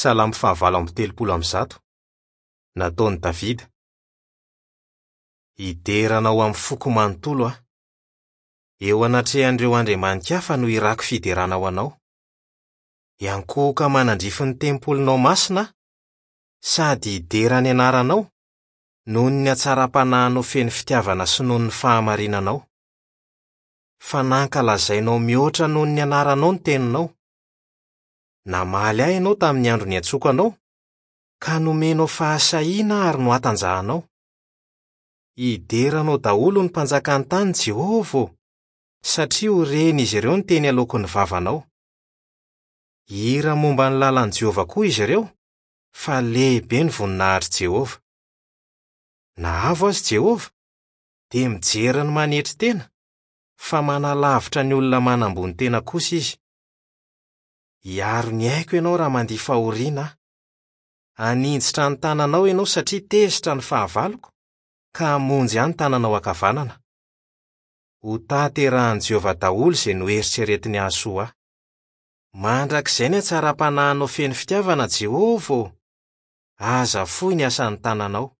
Salamo fahavalo amby 130. Nataon'i Davida. Hidera anao amin'ny foko manontolo aho. Eo anatrehan'ireo andriamani-kafa no hirako fiderana ho anao. Hiankohoka manandrify ny tempolinao masina aho, sady hidera ny anaranao, noho ny hatsaram-panahinao feno fitiavana sy noho ny fahamarinanao. Fa nankalazainao mihoatra noho ny anaranao ny teninao. Namaly ahy ianao tamin'ny andro niantsoako anao, ka nomenao fahasahiana ary nohatanjahanao. Hidera anao daholo ny mpanjakan'ny tany, Jehovah ô, satria ho ren'izy ireo ny teny aloaky ny vavanao. Hihira momba ny lalan'i Jehovah koa izy ireo, fa lehibe ny voninahitr'i Jehovah. Na avo aza Jehovah, dia mijery ny manetry tena, fa manalavitra ny olona manambony tena kosa izy. Hiaro ny aiko ianao raha mandia fahoriana aho. Haninjitra ny tananao ianao satria tezitra ny fahavaloko, ka hamonjy ahy ny tananao ankavanana. Hotanterahin'i Jehovah daholo izay noeritreretiny hahasoa ahy. Mandrakizay ny hatsaram-panahinao feno fitiavana, Jehovah ô! Aza foy ny asan'ny tananao.